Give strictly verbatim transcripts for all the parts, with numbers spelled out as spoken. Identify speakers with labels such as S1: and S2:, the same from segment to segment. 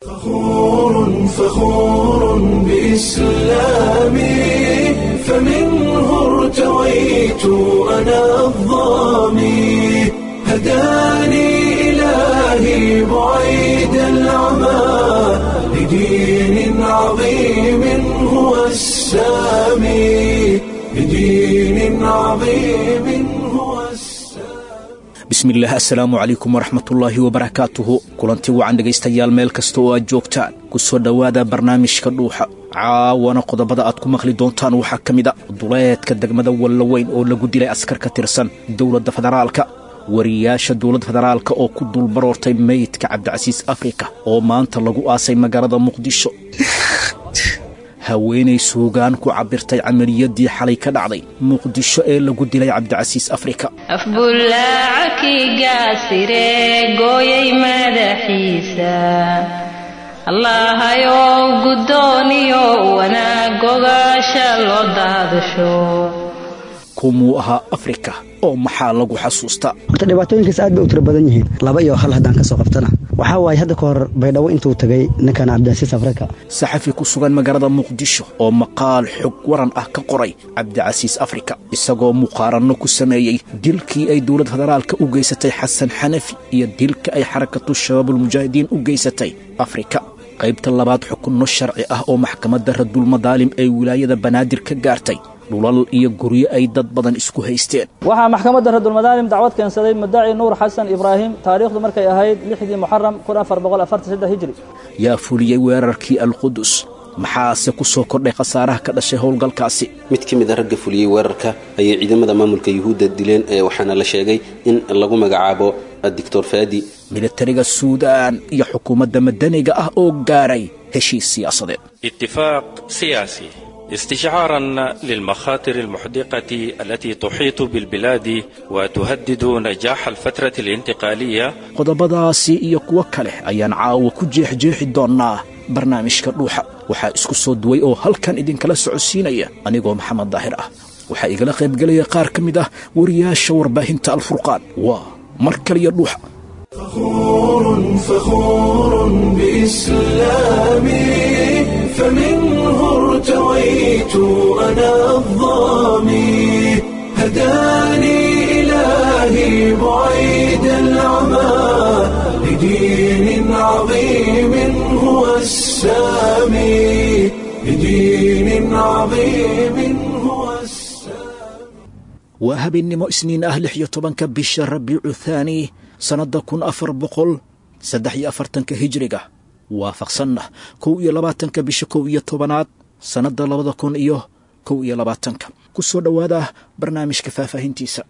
S1: فخور فخور بإسلامي، فمنه ارتويت أنا الظامي، هداني إلهي بعيد العمى لدين عظيم هو السامي، لدين عظيم هو السامي.
S2: Bismillaah, assalaamu calaykum waraxmatullaahi wabarakaatuhu. Kulanti wacan dhegaystayaal, meel kasta oo aad joogtaan, ku soo dhowaada barnaamijka Dhuuxa. Caawana qodobada aad ku maqli doontaan waxaa ka mid a duleedka degmada Wallaweyn oo lagu dilay askar ka tirsan dowladda federaalka, wariyaasha dowladda federaalka oo ku dulbaroortay meydka Cabdicasiis Afrika oo maanta lagu aasay magaalada Muqdisho, haweenay suugaan ku cabbirtay camaliyadii xalay ka dhacday Muqdisho ee lagu dilay Cabdicasiis Afrika.
S3: Afbullaacaki gaasire gooyay madaxiisa, Allahayow guddooniyo wanaag gogaasha loo daadasho.
S2: Kumuu ahaa Afrika oo maxaa lagu xasuustaa?
S4: Horta dhibaatooyinkaas aad bay u tiro badan yihiin. Laba iyo hal haddaan ka soo qabtana, waxaa waaye hadda ka hor Baydhabo intuu tagay ninkan Cabdicasiis Afrika.
S2: Saxafi ku sugan magaalada Muqdisho oo maqaal xog waran ah ka qoray Cabdicasiis Afrika, isagoo muqaaranno ku sameeyey dilkii ay dowladda federaalka u geysatay Xasan Xanafi iyo dilka ay Xarakatu Shabaabulmujaahidiin u geysatay Afrika. Qaybta labaad, xukunno sharci ah oo maxkamadda Radulmadaalim ee wilaayada Banaadir ka gaartay dhulal iyo guryo ay dad badan isku haysteen.
S5: Waxaa maxkamadda Radulmadaalim dacwad keensaday mudaci Nuur Xasan Ibraahim, taariikhdu markay ahayd lixdii Muxaram kun afar boqol afartan saddex hijri.
S2: Yaa fuliyey weerarkii Alqudus, maxaase ku soo kordhay khasaaraha ka dhashay howlgalkaasi?
S6: Mid ka mid a ragga fuliyey weerarka ayay ciidamada maamulka Yuhuudda dileen, ee waxaana la sheegay in lagu magacaabo Doctor Faadi.
S2: Militariga Suudaan iyo xukuumadda madaniga ah oo gaaray heshiis siyaasadeed.
S7: اتفاق سياسي استشعارا للمخاطر المحدقة التي تحيط بالبلاد وتهدد نجاح الفترة الانتقالية.
S2: Qodobadaasi iyo kuwo kale ayaan caawa ku jeexjeexi doonnaa barnaamijka Dhuuxa. Waxaa isku soo duway oo halkan idinkala socodsiinaya anigoo Maxamed Daahir ah, waxaa igala qaybgelaya qaar ka mid ah wariyaasha warbaahinta Alfurqaan. Waa mar kaliya Dhuuxa.
S1: فخور فخور بإسلامي، فمنه ارتويت أنا الظامي، هداني إلهي بعيد العمى لدين عظيم هو السامي، لدين عظيم هو السامي.
S2: Waa habeennimo Isniin ah, lix iyo tobanka bisha Rabiicu Thaani, sannadda kun afar boqol saddex iyo afartanka hijriga, waafaqsanna kow iyo labaatanka bisha kow iyo tobanaad, sannadda labada kun iyo kow iyo labaatanka. Ku soo dhowaada barnaamijka faahfaahintiisa.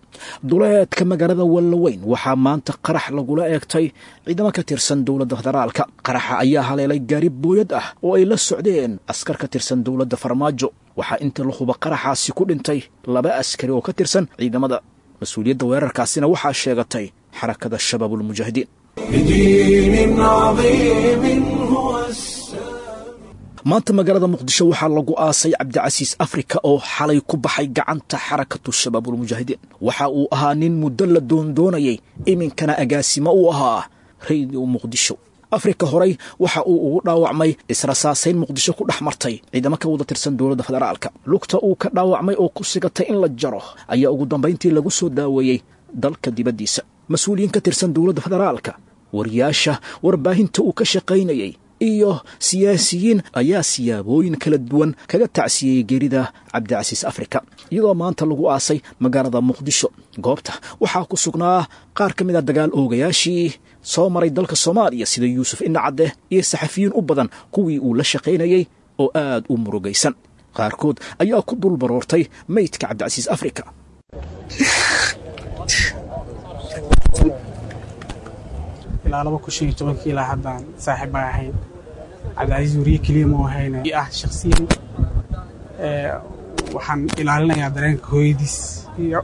S2: Duleedka magaalada Wallaweyn waxaa maanta qarax lagula eegtay ciidamo ka tirsan dowladda federaalka. Qaraxa ayaa haleelay gaari booyad ah oo ay la socdeen askar ka tirsan dowladda Farmaajo. Waxaa inta la huba qaraxaasi ku dhintay laba askari oo ka tirsan ciidamada. Mas-uuliyadda weerarkaasina waxaa sheegatay Xarakada Shabaabulmujaahidiin.
S1: لدين عظيم هو السامي.
S2: Maanta magaalada Muqdisho waxaa lagu aasay Cabdicasiis Afrika oo xalay ku baxay gacanta Xarakatu Shabaabulmujaahidiin. Waxa uu ahaa nin muddo la doondoonayay, iminkana agaasimo u ahaa Radio Muqdisho. Afrika horay waxa uu ugu dhaawacmay israsaasayn Muqdisho ku dhex martay ciidamo ka wada tirsan dowladda federaalka. Lugta uu ka dhaawacmay oo ku sigatay in la jaro ayaa ugu dambayntii lagu soo daaweeyey dalka dibaddiisa. Mas-uuliyiin ka tirsan dowladda federaalka, wariyaasha warbaahinta uu ka shaqaynayay iyo siyaasiyiin ayaa siyaabooyin kala duwan kaga tacsiyeyey geerida Cabdicasiis Afrika, iyadoo maanta lagu aasay magaalada Muqdisho. Goobta waxaa ku sugnaa qaar ka mid a dagaal oogayaashii soo maray dalka Soomaaliya sida Yuusuf Indhacadde iyo saxafiyiin u badan kuwii uu la shaqaynayey oo aad u murugaysan. Qaarkood ayaa ku dul baroortay meydka Cabdicasiis Afrika.
S8: Ilaa laba kun shan iyo tobankii ilaa haddaan saaxiib baan ahayn. Cabdicasiis weriye keliya ma ahayna ah shakhsiyan ee waxaan ilaalinayaa dareenka hooyadiis iyo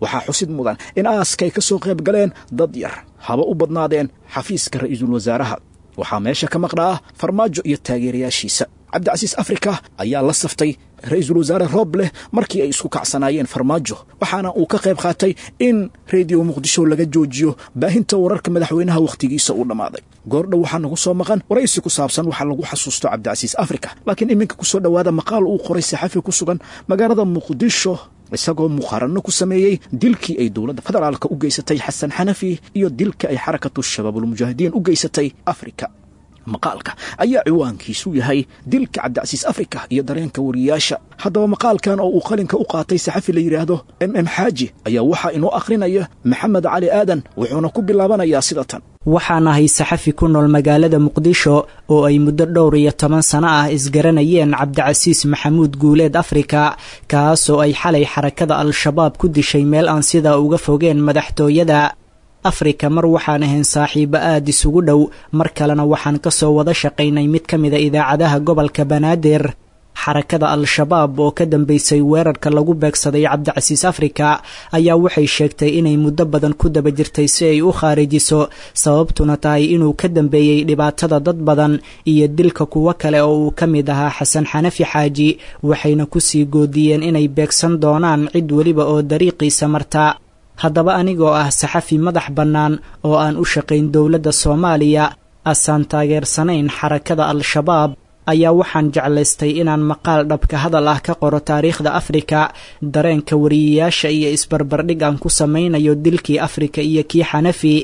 S2: Waxaa xusid mudan in aaskay ka soo qayb galeen dad yar, haba u badnaadeen xafiiska ra'iisul wasaaraha. Waxaa meesha ka maqnaa Farmaajo iyo taageerayaashiisa. Cabdicasiis Afrika ayaa la saftay Ra-iisul wasaare Roobleh markii ay isku kacsanaayeen Farmaajo, waxaana uu ka qayb qaatay in Rediyo Muqdisho laga joojiyo baahinta wararka madaxweynaha wakhtigiisa uu dhammaaday. Goordhow waxaa nagu soo maqan waraysi ku saabsan waxaa lagu xasuusto Cabdicasiis Afrika, laakiin iminka ku soo dhowaada maqaal uu qoray saxafi ku sugan magaalada Muqdisho, isagoo muqaaranno ku sameeyey dilkii ay dowladda federaalka u geysatay Xasan Xanafi iyo dilka ay Xarakatu Shabaabulmujaahidiin u geysatay Afrika. Maqaalka ayaa ciwaankiisu yahay dilka Cabdicasiis Afrika iyo dareenka wariyaasha. Haddaba maqaalkan oo uu qalinka u qaatay saxafi la yidhaahdo M M Xaaji ayaa waxaa inoo akhrinaya Maxamed Cali Aadan, wuxuuna ku bilaabanayaa sida tan.
S9: Waxaan ahay saxafi ku nool magaalada Muqdisho oo ay muddo dhowr iyo toban sano ah isgaranayeen Cabdicasiis Maxamuud Guuleed Afrika, kaasoo ay xalay Xarakada Al-Shabaab ku dishay meel aan sidaa uga fogeen madaxtooyada. Afrika mar waxaan ahayn saaxiibo aad isugu dhow, mar kalena waxaan ka soo wada shaqaynay mid ka mida idaacadaha gobolka Banaadir. Xarakada Al-Shabaab oo ka dambeysay weerarka lagu beegsaday Cabdicasiis Afrika ayaa waxay sheegtay inay muddo badan ku daba jirtay si ay u khaarijiso, sababtuna tahay inuu ka dambeeyey dhibaatada dad badan iyo dilka kuwo kale oo uu ka mid ahaa Xasan Xanafi Xaaji, waxayna kusii goodiyeen inay beegsan doonaan cid weliba oo dariiqiisa marta. Haddaba anigoo ah saxafi madax bannaan oo aan u shaqayn dowladda Soomaaliya, asaan taageersanayn Xarakada Al-Shabaab, ayaa waxaan jeclaystay inaan maqaal dhabka hadal ah ka qoro taariikhda Afrika, dareenka wariyayaasha iyo isbarbardhig aan ku samaynayo dilkii Afrika iyo kii Xanafi.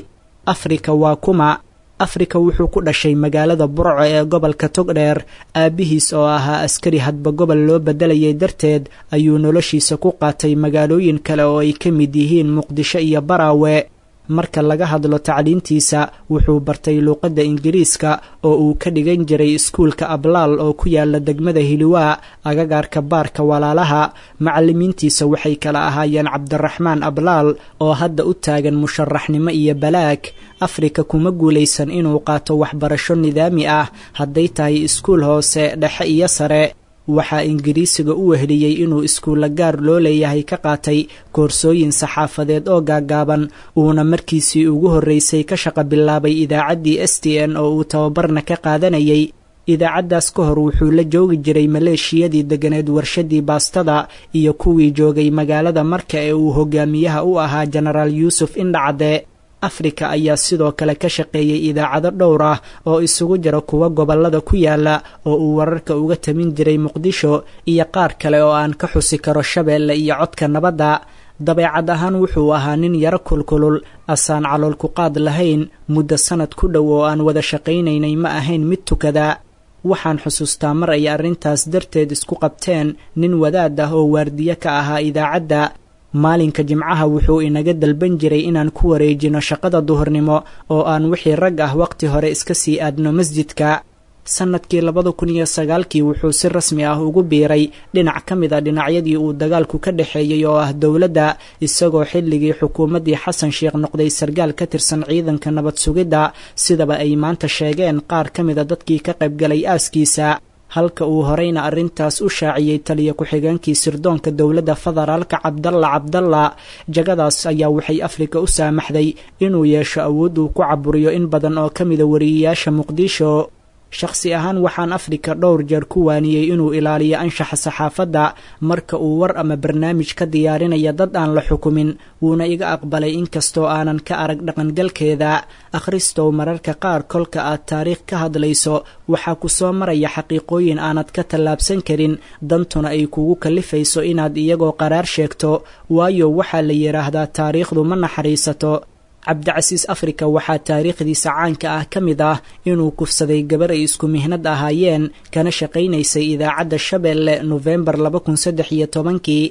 S9: Afrika waa kuma? Afrika wuxuu ku dhashay magaalada Burco ee gobolka Togdheer. Aabbihiis oo ahaa askari hadba gobol loo beddelayay darteed ayuu noloshiisa ku qaatay magaalooyin kale oo ay ka mid yihiin Muqdisho iyo Baraawe. Marka laga hadlo tacliintiisa, wuxuu bartay luuqadda Ingiriiska oo uu ka dhigan jiray iskuulka Ablaal oo ku yaala degmada Hiliwaa, agagaarka baarka Walaalaha. Macallimiintiisa waxay kala ahaayeen Cabdiraxmaan Ablaal oo hadda u taagan musharaxnimo iyo balaag. Afrika kuma guulaysan inuu qaato waxbarasho nidaami ah, hadday tahay iskuul hoose, dhexe iyo sare. Waxaa Ingiriisiga u weheliyey inuu iskuulla gaar loo leeyahay ka qaatay koorsooyin saxaafadeed oo gaagaaban, uuna markiisii ugu horreysay ka shaqo bilaabay idaacaddii S T N oo uu tababarna ka qaadanayay. Idaacaddaas ka hor wuxuu la joogi jiray maleeshiyadii deganeed warshadii baastada iyo kuwii joogay magaalada Marka ee uu hogaamiyaha u ahaa Jenaraal Yuusuf Indhacade. Afrika ayaa sidoo kale ka shaqeeyey idaacado dhowr ah oo isugu jira kuwa gobollada ku yaala oo uu wararka uga tamin jiray Muqdisho iyo qaar kale oo aan ka xusi karo Shabeelle iyo Codka Nabadda. Dabeecad ahaan wuxuu ahaa nin yaro kulkulul, asaan calool ku qaad lahayn. Muddo sanad ku dhow oo aan wada shaqaynaynay ma ahayn mid tukada. Waxaan xusuustaa mar ay arrintaas darteed isku qabteen nin wadaad ah oo waardiye ka ahaa idaacadda. Maalinka Jimcaha wuxuu inaga dalban jiray inaan ku wareejino shaqada duhurnimo oo aan wixii rag ah waqti hore iska sii aadno masjidka. Sannadkii labada kun iyo sagaalkii wuxuu si rasmi ah ugu biiray dhinac ka mid a dhinacyadii uu dagaalku ka dhexeeyey oo ah dowladda, isagoo xilligii xukuumaddii Xasan Sheekh noqday sargaal ka tirsan ciidanka nabad sugidda, sidaba ay maanta sheegeen qaar ka mida dadkii ka qaybgalay aaskiisa, halka uu horeyna arrintaas u shaaciyey taliya ku-xigeenkii sirdoonka dowladda federaalka Cabdalla Cabdalla. Jagadaas ayaa waxay Afrika u saamaxday inuu yeesho awood uu ku caburiyo in badan oo ka mida wariyayaasha Muqdisho. Shakhsi ahaan waxaan Afrika dhowr jeer ku waaniyey inuu ilaaliyo anshaxa saxaafadda marka uu war ama barnaamij ka diyaarinaya dad aan la xukumin, wuuna iga aqbalay inkastoo aanan ka arag dhaqangalkeeda. Akhristow, mararka qaar kolka aad taariikh ka hadlayso waxaa ku soo maraya xaqiiqooyin aanad ka tallaabsan karin, dantuna ay kugu kallifayso inaad iyagoo qaraar sheegto, waayo waxaa la yidhaahdaa taariikhdu ma naxariisato. Cabdicasiis Afrika waxaa taariikhdiisa caanka ah ka mid ah inuu kufsaday gabar ay isku mihnad ahaayeen kana shaqaynaysay idaacadda Shabeelle Nofembar laba kun saddex iyo tobankii.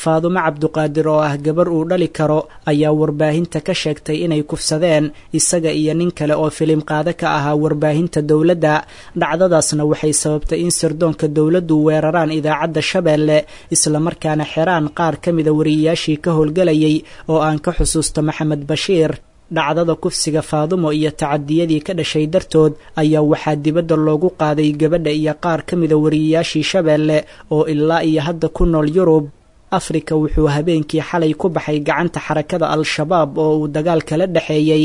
S9: Faadumo Cabduqaadir oo ah gabar uu dhali karo ayaa warbaahinta ka sheegtay inay kufsadeen isaga iyo nin kale oo filim qaado ka ahaa warbaahinta dowladda. Dhacdadaasna waxay sababtay in sirdoonka dowladdu weeraraan idaacadda Shabeelle, islamarkaana xeraan qaar ka mida wariyayaashii ka howlgalayay oo aan ka xusuusto Maxamed Bashiir. Dhacdada kufsiga Faadumo iyo tacadiyadii ka dhashay dartood ayaa waxaa dibadda loogu qaaday gabadha iyo qaar ka mida wariyayaashii Shabeelle oo ilaa iyo hadda ku nool Yurub. Afrika wuxuu habeenkii xalay ku baxay gacanta Xarakada Al-Shabaab oo uu dagaal kala dhexeeyey.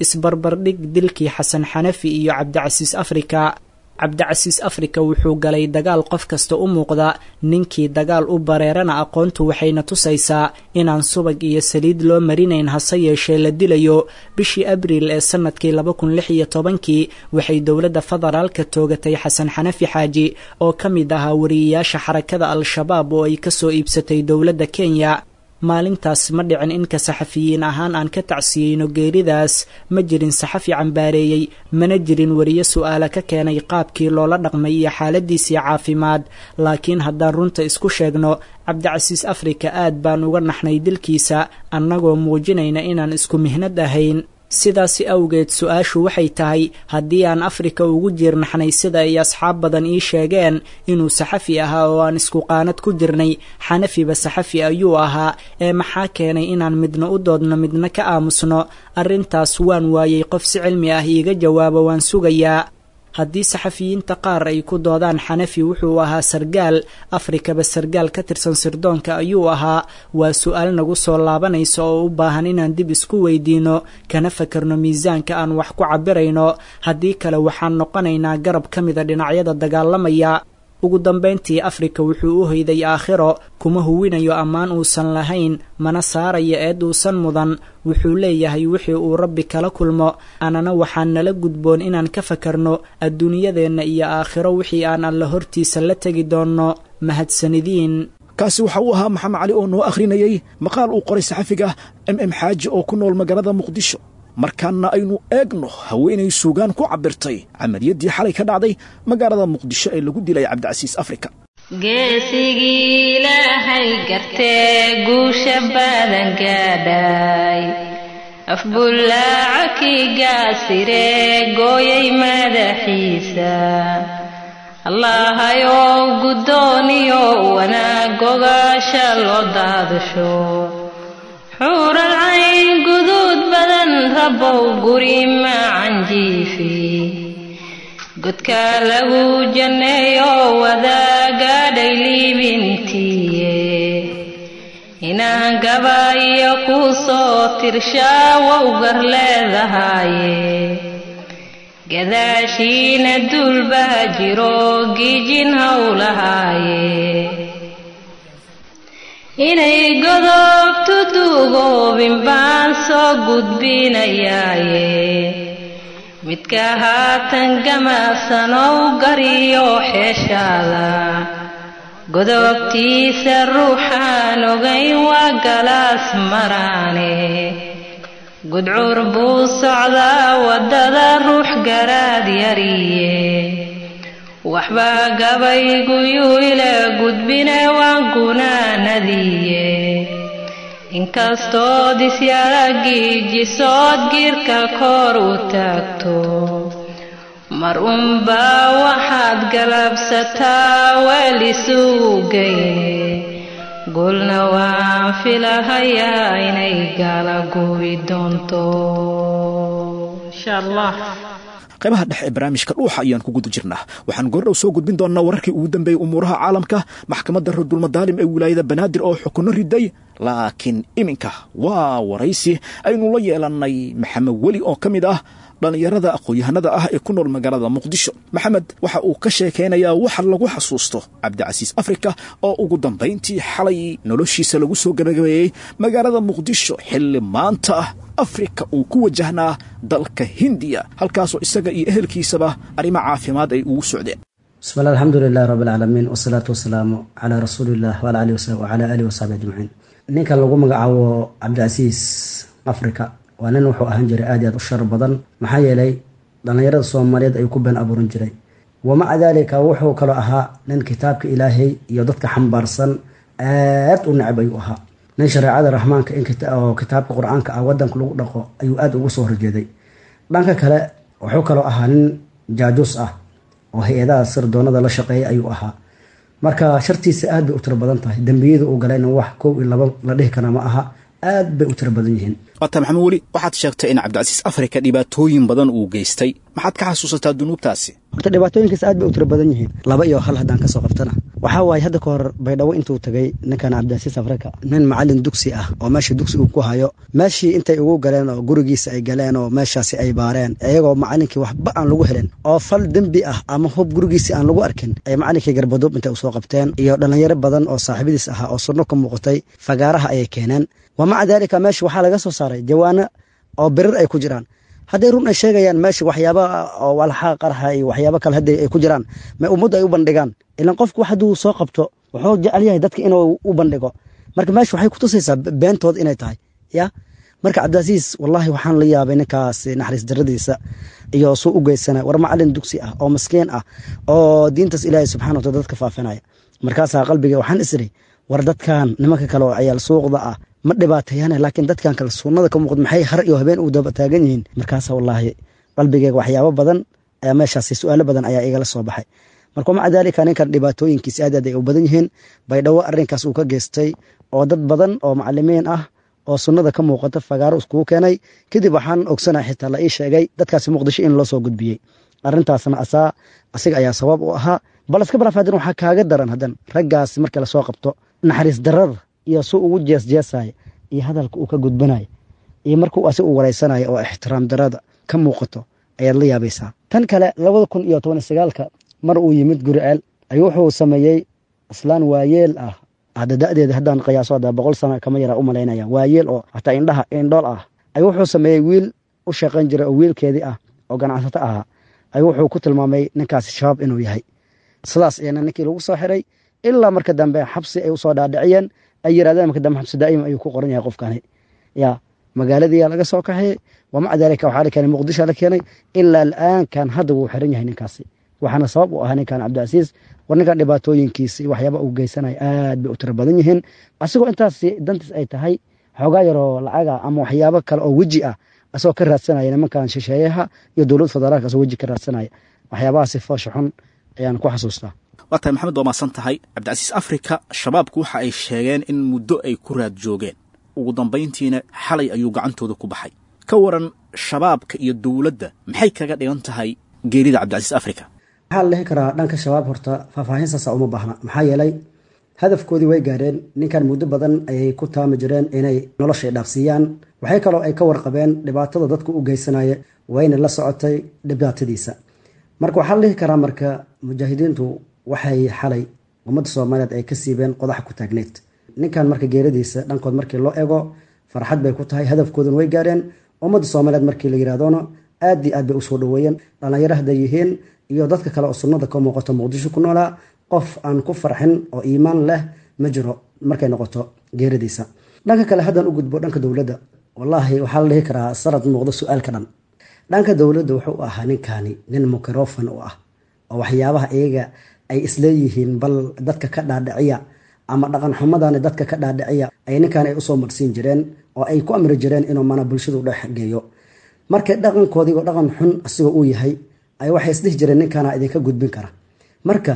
S9: Isbarbardhig dilkii Xasan Xanafi iyo Cabdicasiis Afrika. Cabdicasiis Afrika wuxuu galay dagaal qof kasta u muuqda, ninkii dagaal u bareerana aqoontu waxayna tusaysaa inaan subag iyo saliid loo marinayn, hase yeeshee la dilayo. Bishii Abriil ee sanadkii laba kun lix iyo tobankii waxay dowladda federaalka toogatay Xasan Xanafi Xaaji oo ka mid ahaa wariyeyaasha xarakada Al-Shabaab oo ay kasoo iibsatay dowladda Kenya. Maalintaas ma dhicin inka saxafiyiin ahaan aan ka tacsiyeyno geeridaas, ma jirin saxafi cambaareeyey, mana jirin wariye su'aala ka keenay qaabkii loola dhaqmay iyo xaaladiisii caafimaad. Laakiin haddaan runta isku sheegno, Cabdicasiis Afrika aad baan uga naxnay dilkiisa, annagoo muujinayna inaan isku mihnad ahayn. Sidaasi awgeed su-aashu waxay tahay, haddii aan Afrika ugu jiirnaxnay sida ay asxaab badan ii sheegeen inuu saxafi ahaa oo aan isku qaanad ku jirnay, Xanafiba saxafi ayuu ahaa, ee maxaa keenay inaan midna u doodno midna ka aamusno? Arrintaas waan waayey qof si cilmi ah iiga jawaabo, waan sugayaa. Haddii saxafiyiinta qaar ay ku doodaan Xanafi wuxuu ahaa sargaal, Afrikaba sargaal ka tirsan sirdoonka ayuu ahaa, waa su-aal nagu soo laabanaysa oo u baahan inaan dib isku weydiino, kana fakarno miisaanka aan wax ku cabirayno. Haddii kale waxaan noqonaynaa garab ka mida dhinacyada dagaalamaya. Ugu dambayntii Afrika wuxuu u hoyday aakhiro, kuma huwinayo ammaan uusan lahayn, mana saarayo eed uusan mudan. Wuxuu leeyahay wixii uu Rabbi kala kulmo, anana waxaan nala gudboon inaan ka fakarno adduunyadeenna iyo aakhiro wixii aan alla hortiisa la tegi doonno. Mahadsanidiin.
S2: Kaasi waxa uu ahaa Maxamed Cali oo noo akhrinayey maqaal uu qoray saxafiga M M Xaaji oo ku nool magaalada Muqdisho. Markaana aynu eegno haweenay suugaan ku cabirtay camaliyaddii xalay ka dhacday magaalada Muqdisho ee lagu dilay Cabdicasiis Afrika.
S3: Geesigii Ilaahay gartee guusha badan gaadhay, afbullaaca kii gaasire gooyay madaxiisa, Allahayow guddooniyo wanaag gogaasha loo daadasho, xuural cayn guduud badan Rabbow guri macanjiifi, godka lagu janneeyo wadaagaadhay liibintiye, inaan gabayo ku soo tirshaa wowgar leedahaye, gadaashiina duulbaa jiro gijin howlahaaye, inay godobtu duugoobin baan soo gudbinayaaye, midka haatan gamaasanow gariyo xeeshaada, godobtiisa ruuxaan ogayn waa galaas maraane, gudcur buu socdaa waddada ruux garaad yariye, waxba gabayguyuu ila gudbine waan gunaanadiye, inkastood isyaragiijisood giirka kor u taagto, mar unbaa waxaad galabsataa weel isugu geyne, gulna waan filahayaa inay gala gubi doonto insha Allah.
S2: Qaybaha dhexe ee barnaamijka Dhuuxa ayaan ku guda jirnaa. Waxaan goordhow soo gudbin doonnaa wararkii ugu dambeeyey umuuraha caalamka, maxkamadda Radulmadaalim ee wilaayada Banaadir oo xukunno riday. Laakiin iminka waa waraysi aynu la yeelannay Maxamed Weli oo ka mid ah dhallinyarada aqoon-yahanada ah ee ku nool magaalada Muqdisho. Maxamed waxa uu ka sheekaynayaa waxa lagu xasuusto Cabdicasiis Afrika oo ugu dambayntii xalay noloshiisa lagu soo gabagabeeyey magaalada Muqdisho, xilli maanta ah Afrika uu ku wajahnaa dalka Hindiya, halkaasoo isaga iyo ehelkiisaba arrimo caafimaad ay ugu socdeen.
S4: Bismi llah, alxamdu lilah rabi alcaalamiin, wasalaatu wasalaamu calaa rasuuliillah wala alihi wasaxbi ajmaciin. Ninkan lagu magacaabo Cabdicasiis Africa waa nin wuxuu ahaan jiray aad iyo aad u shar badan, maxaa yeelay dhallinyarada Soomaaliyeed ayuu ku been abuuran jiray. Wamaca daalika wuxuu kaloo ahaa nin kitaabka Ilaahay iyo dadka xambaarsan aad u necab ayuu ahaa. Nin shareecada Raxmaanka oo kitaabka Qur-aanka ah wadanka lagu dhaqo ayuu aada ugu soo horjeeday. Dhanka kale wuxuu kaloo ahaa nin jaajuus ah oo hay-adaha sirdoonada la shaqeeya ayuu ahaa. Marka shartiisa aad bay u tiro badan tahay, dembiyada uu galayna wax kow iyo laba la dhihi kara ma aha, aad bay u tiro badan yihiin.
S2: Waata Maxamed Weli, waxaad sheegtay in Cabdicasiis Afrika dhibaatooyin badan uu geystay. Maxaad ka xasuusataa dunuubtaasi?
S4: Horta dhibaatooyinkaas aad bay u tiro badan yihiin. Laba iyo hal haddaan kasoo qabtana, waxaa waaye hadda ka hor Baydhabo intuu tagay ninkan Cabdicasiis Afrika, nin macalin dugsi ah oo meesha dugsi uu ku hayo, meeshii intay ugu galeen oo gurigiisa ay galeen oo meeshaasi ay baareen, iyagoo macalinkii waxba aan lagu helin oo fal dembi ah ama hub gurigiisii aan lagu arkin, ay macalinkii garbaduub intay usoo qabteen iyo dhallinyaro badan oo saaxiibadiis ahaa oo sunno ka muuqatay fagaaraha ayay keeneen. Wa maca daalika meesha waxaa laga soo saaray jawaano oo birir ay ku jiraan. Hadday run ay sheegayaan, meesha waxyaaba oo walxaa qarxa iyo waxyaabo kale hadday ay ku jiraan, ma ummaddu ay u bandhigaan? Ilan qofku wax hadduu soo qabto wuxuu jecel yahay dadka inuu u bandhigo. Marka meesha waxay kutusaysaa beentood inay tahay ya. Marka Cabdicasiis, wallahi waxaan la yaabay ninkaas naxariis daradiisa iyo suu u geysana. War macalin dugsi ah oo maskiin ah oo diintaas Ilaahay subxana wataala dadka faafinaya. Markaasaa qalbiga waxaan isiri, war dadkan nimanka kale oo ciyaal suuqda ah ma dhibaateeyane, laakiin dadkan kale sunnada ka muuqda maxay har iyo habeen u daba taagan yihiin? Markaasa wallaahi qalbigeyga waxyaabo badan ayaa meeshaasi, su-aalo badan ayaa igala soo baxay. Marka maca daalika ninkan dhibaatooyinkiis aad aad ay u badan yihiin. Baydhabo arrinkaas uu ka geystay oo dad badan oo macalimiin ah oo sunnada ka muuqata fagaaro iskugu keenay, kadib waxaan ogsanahay, xitaa la ii sheegay, dadkaasi Muqdisho in loo soo gudbiyey. Arrintaasna asaa asiga ayaa sabab u ahaa. Bal iska balaaf, hadan waxaa kaaga daran hadan raggaasi marka lasoo qabto naxariis darada iyo suu ugu jeesjeesaya iyo hadalka uu ka gudbanayo iyo markuu asiga u wareysanayo oo ixtiraam darada ka muuqato ayaad la yaabaysaa. Tan kale, labada kun iyo toban iyo sagaalka mar uu yimid Guriceel ayuu wuxuu sameeyey islaan waayeel ah, hadda da'deeda haddaan qiyaaso hadda boqol sano kama yaraa u malaynaya, waayeel oo hataa indhaha indhool ah, ayuu wuxuu sameeyey wiil u shaqayn jiray oo wiilkeedii ah oo ganacsato ahaa ayuu wuxuu ku tilmaamay ninkaasi shabaab inuu yahay. Sidaas ayana ninkii lagu soo xiray ilaa marka dambe xabsi ay usoo dhaadhiciyeen, ay yirahdeen marka dambe xabsi daa'im ayuu ku qoran yahay qofkani. Ya magaaladiiyaa laga soo kaxeeyey, wamaca daalika waxaa la keenay Muqdisho la keenay. Ilaa al'aankan hadda wuu xiran yahay ninkaasi, waxaana sabab u ahaa ninkan Cabdicasiis. War ninkan dhibaatooyinkiisa iyo waxyaaba uu geysanaya aad bay u tiro badan yihiin, asigoo intaas dantiis ay tahay xoogaa yaroo lacaga ama waxyaabo kale oo weji ah asagoo ka raadsanaya nimankan shisheeyaha iyo dowlad federaalka, asagoo weji ka raadsanaya. Waxyaabahaasi foosha xun ayaan ku xasuustaa.
S2: Waa tahay Maxamed, waa mahadsan tahay. Cabdicasiis Afrika shabaabku waxa ay sheegeen in muddo ay ku raad joogeen, ugu dambayntiina xalay ayuu gacantooda ku baxay. Ka waran shabaabka iyo dowladda, maxay kaga dhigan tahay geerida Cabdicasiis Afrika?
S4: Waxaa la dhihi karaa dhanka shabaab horta faahfaahin saasa uma baahna, maxaa yeelay hadafkoodii way gaareen. Ninkan muddo badan ayay ku taami jireen inay noloshay dhaafsiiyaan. Waxay kaloo ay ka warqabeen dhibaatada dadku u geysanaya, wayna la socotay dhibaatadiisa. Marka waxaa la dhihi karaa marka mujaahidiintu waxay xalay ummadda Soomaaliyeed ay ka siibeen qodax ku taagneyd ninkan. Marka geeradiisa dhankood markii loo ego farxad bay ku tahay, hadafkooduna way gaareen. Ummadda Soomaaliyeed markii la yirahdona aad iyo aad bay usoo dhaweeyeen, dhalinyaro hadday yihiin iyo dadka kale oo sunnada ka muuqato Muqdisho ku noolaa. Qof aan ku farxin oo iimaan leh ma jiro markay noqoto geeradiisa. Dhanka kale haddaan u gudbo dhanka dowladda, wallaahi waxaa la dhihi karaa sanad muuqdo su-aalka dhan. Dhanka dowladda wuxuu ahaa ninkani nin microfon u ah oo waxyaabaha iyaga ay isleeyihiin bal dadka ka dhaadhiciya ama dhaqan xumadani dadka ka dhaadhiciya ay ninkan ay usoo marsiin jireen oo ay ku amri jireen inuu mana bulshadu dhex geeyo. Marka dhaqankoodiigo dhaqan xun asigoo uu yahay ay waxay isdhihi jireen ninkana idinka gudbin kara. Marka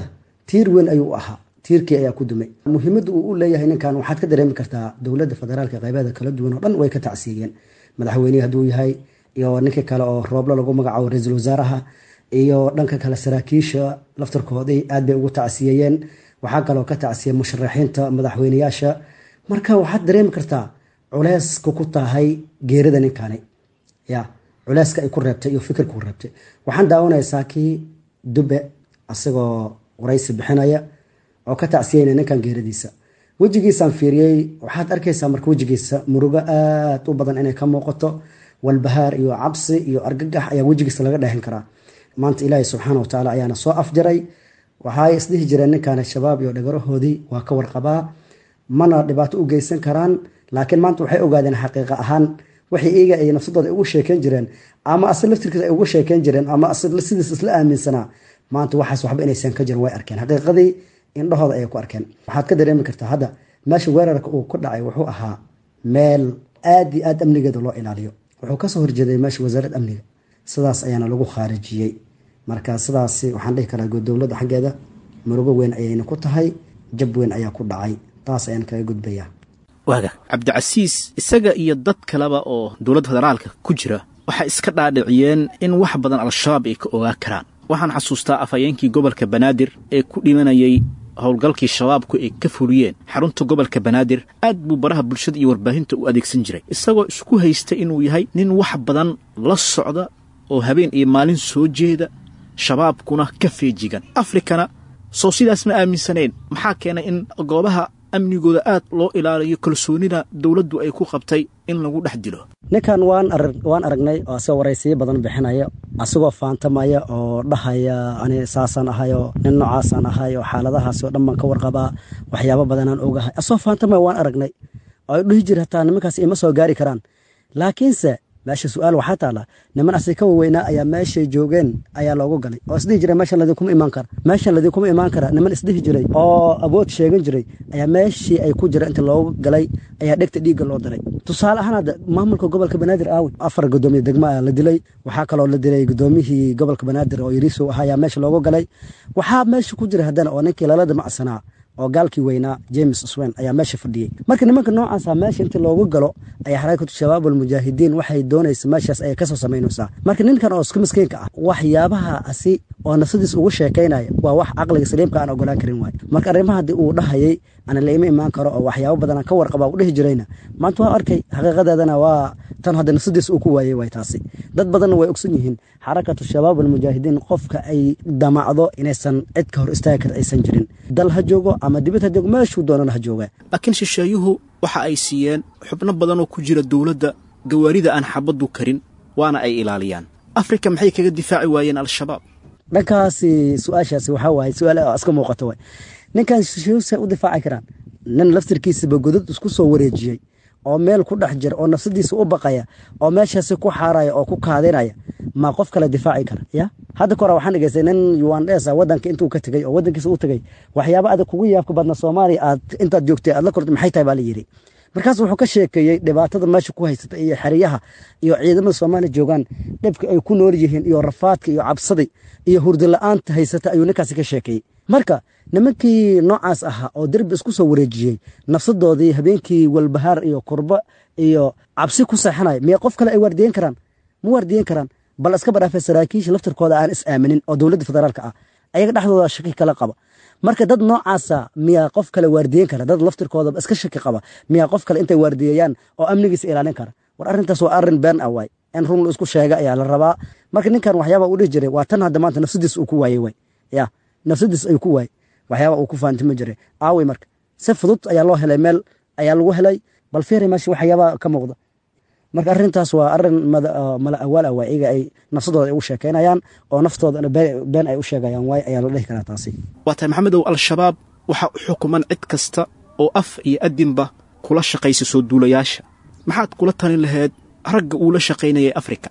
S4: tiir weyn ayuu ahaa, tiirkii ayaa ku dumay. Muhiimadda uu u leeyahay ninkan waxaad ka dareemi kartaa dowladda federaalka qaybaheeda kala duwan oo dhan way ka tacsiiyeen, madaxweynihii hadduu yahay iyo ninkii kale oo Rooblo lagu magacaabo ra-iisul wasaaraha, iyo dhanka kale saraakiisha laftarkoodii aad bay ugu tacsiyeeyeen. Waxaa kaloo ka tacsiyey musharaxiinta madaxweyneyaasha. Marka waxaad dareemi kartaa culeyska ku tahay geerida ninkani, ya culeyska ay ku reebtay iyo fikirka ku reebtay. Waxaan daawanaysaa kii Dube asagoo waraysi bixinaya oo ka tacsiyeyna ninkan geeradiisa. Wejigiisaan fiiriyey, waxaad arkaysaa marka wejigiisa murugo aad u badan inay ka muuqato, walbahaar iyo cabsi iyo argagax ayaa wejigiisa laga dheehan karaa. Maanta Ilaahay subxaana watacaala ayaana soo afjaray. Waxay isdhihi jireen ninkan shabaab iyo dhagarahoodii waa ka warqabaa, mana dhibaato u geysan karaan, laakiin maanta waxay ogaadeen xaqiiqa ahaan waxay iyaga ay nafsadooda ugu sheekeyn jireen ama ase laftirkiisa ay ugu sheekeyn jireen ama ase sidiis isla aaminsanaa, maanta waxaas waxba inaysan ka jirin way arkeen, xaqiiqadii indhahooda ayay ku arkeen. Waxaad ka dareemi kartaa hadda meesha weerarka uu ku dhacay wuxuu ahaa meel aad iyo aad amnigeeda loo ilaaliyo. Wuxuu kasoo horjeeday meesha wasaaradda amniga, sidaas ayaana lagu khaarijiyey. Marka sidaas waxaan dhihi karaa dowladda xaggeeda murugo weyn ayayna ku tahay, jab weyn ayaa ku dhacay, taas ayaan kaga gudbayaa.
S2: Waaga Cabdicasiis isaga iyo dad kaleba oo dowladda federaalka ku jira Waxay iska dhaadhiciyeen in wax badan Al-Shabaab ay ka ogaa karaan. Waxaan xasuustaa afhayeenkii gobolka Banaadir ee ku dhimanayay howlgalkii Shabaabku ay ka fuliyeen xarunta gobolka Banaadir. Aad buu baraha bulshada iyo warbaahinta u adeegsan jiray, isagoo isku haysta inuu yahay nin wax badan la socda oo habeen iyo maalin soo jeeda, Shabaabkuna ka feejigan. Afrikana soo sidaas ma aaminsanayn. Maxaa keenay in goobaha amnigooda aad loo ilaaliyo, kalsoonida dowladdu ay ku qabtay, in lagu dhex dilo?
S4: Ninkan waan waan aragnay oo asagoo waraysiyo badan bixinaya, asagoo faantamaya oo dhahaya ani saasaan ahay oo nin noocaasaan ahay oo xaaladahaasi oo dhan baan ka warqabaa, waxyaabo badanaan ogahay. Asagoo faantamaya waan aragnay oo dhihi jira hataa nimankaas ima soo gaari karaan. Laakiinse meesha su-aal waxaa taala, niman asi ka waweynaa ayaa meeshay joogeen ayaa loogu galay oo isdhihi jiray meeshan ladinkuma imaan kara, meeshan ladinkuma imaan kara. Niman isdhihi jiray oo awood sheegan jiray ayaa meeshii ay ku jira inta loogu galay ayaa dhegta dhiigga loo diray. Tusaale ahaan, hadda maamulka gobolka Banaadir aawi, afar gudoomiye degmo ayaa la dilay. Waxaa kaloo la dilay gudoomiyihii gobolka Banaadir oo Yariisow ahaa ayaa meesha loogu galay. Waxaa meesha ku jira haddana oo ninkii lala damacsanaa oo gaalkii weynaa James Swan ayaa meesha fadhiyey. Marka nimanka noocaasa meesha inta loogu galo ayaa Xarakatu Shabaab Almujaahidiin waxay doonaysa meeshaas ayay kasoo samaynaysaa. Marka ninkan oo isku miskiinka ah, waxyaabaha asi oo nafsadiis ugu sheekaynaya waa wax caqliga saliimka aan ogolaan karin waay. Marka arrimaha haddii uu dhahayay ana la ima imaan karo oo waxyaabo badan aan ka warqaba u dhihi jirayna, maanta waa arkay xaqiiqadeedana, waa tan hadda nafsadiis uu ku waayey waay taasi. Dad badanna way ogsan yihiin Xarakatu Shabaab Almujaahidiin qofka ay damacdo inaysan cid ka hor istaagi karta aysan jirin, dal ha joogo ama dibad ha joogo, meeshuu doonana ha jooga.
S2: Laakiin shisheeyuhu waxa ay siiyeen xubno badan oo ku jira dowladda gawaarida aan xabaddu karin, waana ay ilaaliyaan. Afrika maxay kaga difaaci waayeen Al-Shabaab?
S4: Dhankaasi su-aashaasi waxaa waaye su-aal iska muuqato waay. Ninkan shisheeyuhu u difaaci karaan nin laftirkiisaba godad isku soo wareejiyey oo meel ku dhex jira oo nafsadiisa u baqaya oo meeshaasi ku xaaraya oo ku kaadinaya, ma qof kale difaaci kara? Ya hadda ka hore waxaan dhegeystay nin Ugandesa wadanka intuu ka tegey oo wadankiisa u tegey, waxyaaba adag kugu yaabka badna Soomaaliya aad intaad joogtay aad la kortay maxay tahay baa la yidhi. Markaas wuxuu ka sheekeeyey dhibaatada meesha ku haysata iyo xeryaha iyo ciidamada Soomaaliya joogaan, dhibka ay ku nool yihiin iyo rafaadka iyo cabsada iyo hurdo la-aanta haysata ayuu ninkaasi ka sheekeeyey. Marka nimankii noocaas ahaa oo derbi isku soo wareejiyey, nafsadoodii habeenkii walbahaar iyo kurbo iyo cabsi ku seexanaya, miya qof kale ay waardiyen karaan? Ma waardiyen karaan. Bal iska badhaafay saraakiisha laftirkooda aan is aaminin oo dowladda federaalka ah ayaga dhexdooda shaki kala qaba. Marka dad noocaasa miyaa qof kale waardiyen kara? Dad laftirkooda iska shaki qaba miyaa qof kale intay waardiyeeyaan oo amnigiisa ilaalin kara? War arrintaas waa arrin been ah waay, in run la isku sheega ayaa la rabaa. Marka ninkan waxyaaba uu dhihi jiray waa tan hadda maanta nafsadiis uu ku waayey waay. Ya nafsadiis ayuu ku waayey waxyaaba uu ku faantimi jiray aawey. Marka si fudud ayaa loo helay, meel ayaa lagu helay. Bal fiiri meesha waxyaaba ka muuqda. Marka arrintaas waa arrin mala awaal ah waay, iyaga ay nafsadooda ay ugu sheekaynayaan oo naftoodana been ay u sheegayaan waay ayaa la dhihi karaa taasi.
S2: Waa tahay Maxamedow, Al-Shabaab waxaa u xukuman cid kasta oo af iyo adinba kula shaqaysa soo duulayaasha. Maxaad kula talin lahayd ragga uu la shaqaynayay Afrika?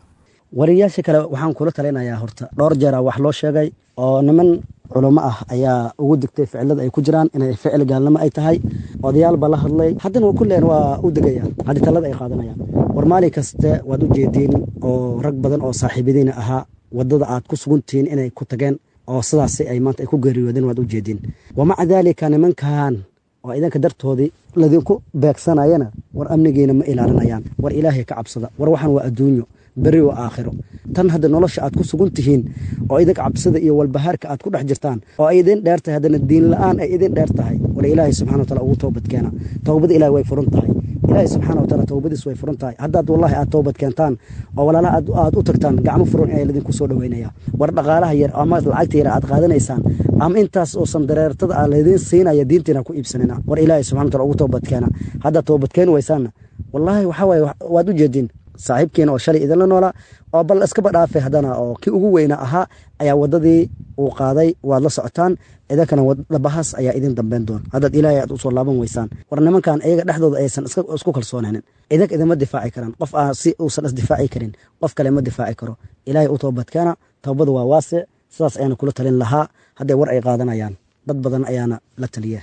S4: Wariyaasha kale waxaan kula talinayaa, horta dhowr jeera wax loo sheegay oo niman culamo ah ayaa ugu digtay ficilada ay ku jiraan inay ficil gaalnimo ay tahay. Odayaal baa la hadlay, haddana kulleen waa u degayaan haddii talada ay qaadanayaan. War maalin kaste waad u jeediin oo rag badan oo saaxiibadiina ahaa waddada aad ku sugantihiin inay ku tageen oo sidaasi ay maanta ay ku geeriyoodeen waad u jeediin. Wamaca daalika nimankan oo idanka dartoodii ladinku beegsanayana, war amnigiina ma ilaalinayaan. War Ilaahay ka cabsada. War waxaan waa adduunyo, berri waa aakhiro. Tan hadda nolosha aad ku sugan tihiin oo idinka cabsida iyo walbahaarka aad ku dhex jirtaan oo ay idin dheer tahay, haddana diin la-aan ay idin dheer tahay, war Ilaahay subxana wataala ugu toobad keena. Towbada Ilahay way furan tahay. Ilaahay subxaana wataala towbadiis way furan tahay. Haddaad wallahi aad toobad keentaan oo walaalaha aad aad u tagtaan, gacmo furan ayaa lidinku soo dhoweynaya. War dhaqaalaha yar ama lacagta yar aad qaadanaysaan ama intaas oo sandareertada ah laydin siinaya diintiina ku iibsanina. War Ilaahay subxana wataala ugu toobad keena. Haddaad toobad keeni waysaanna, wallaahi waxaa waaye waad u jeediin saaxiibkiina oo shalay idinla noolaa oo bal iskaba dhaafay haddana oo kii ugu weyna ahaa ayaa waddadii uu qaaday waad la socotaan. Idinkana dhabahaas ayaa idin dambeyn doona haddaad Ilaahay aad usoo laaban weysaan. War nimankan iyaga dhexdooda aysan isku kalsoonaanin, idinka idinma difaaci karaan. Qof aan si uusan isdifaaci karin qof kale ma difaaci karo. Ilaahay u toobadkeena, towbadu waa waasic. Sidaas ayaana kula talin lahaa hadday war ay qaadanayaan. Dad badan ayaana la taliya.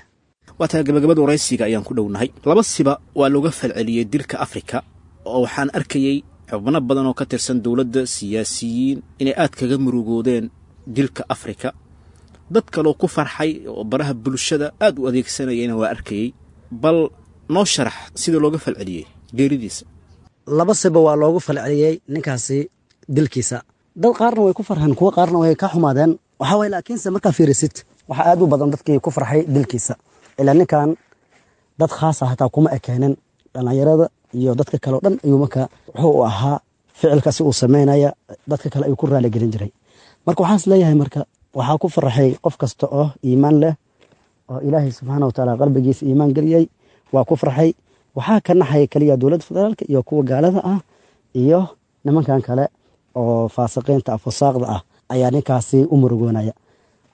S2: Waa tahay, gabagabada waraysiga ayaan ku dhownahay. Laba siba waa looga falceliyey dilka Afrika oo waxaan arkayey xubno badan oo ka tirsan dowladda, siyaasiyiin, inay aad kaga murugoodeen dilka Afrika. Dad kaloo ku farxay oo baraha bulshada aad u adeegsanayayna waa arkayey. Bal noo sharax sida looga falceliyey geeridiisa.
S4: Laba siba waa loogu falceliyey ninkaasi dilkiisa. Dad qaarna way ku farxeen, kuwo qaarna way ka xumaadeen. Waxaa waye, laakiinse markaa fiirisid, waxaa aad u badan dadkii ku farxay dilkiisa. Ilaa ninkan dad khaasa hataa kuma ekeenin, dhallinyarada iyo dadka kale o dhan ayuu marka wuxuu u ahaa ficilkaasi uu sameynaya, dadka kale ayuu ku raaligelin jiray. Marka waxaan is leeyahay, marka waxaa ku farxay qof kasta oo iimaan leh oo Ilaahay subxaana watacaala qalbigiisa iimaan geliyey, waa ku farxay. Waxaa ka naxaya keliya dowladda federaalka iyo kuwa gaalada ah iyo nimankan kale oo faasiqiinta ah, fusaaqda ah ayaa ninkaasi u murugoonaya.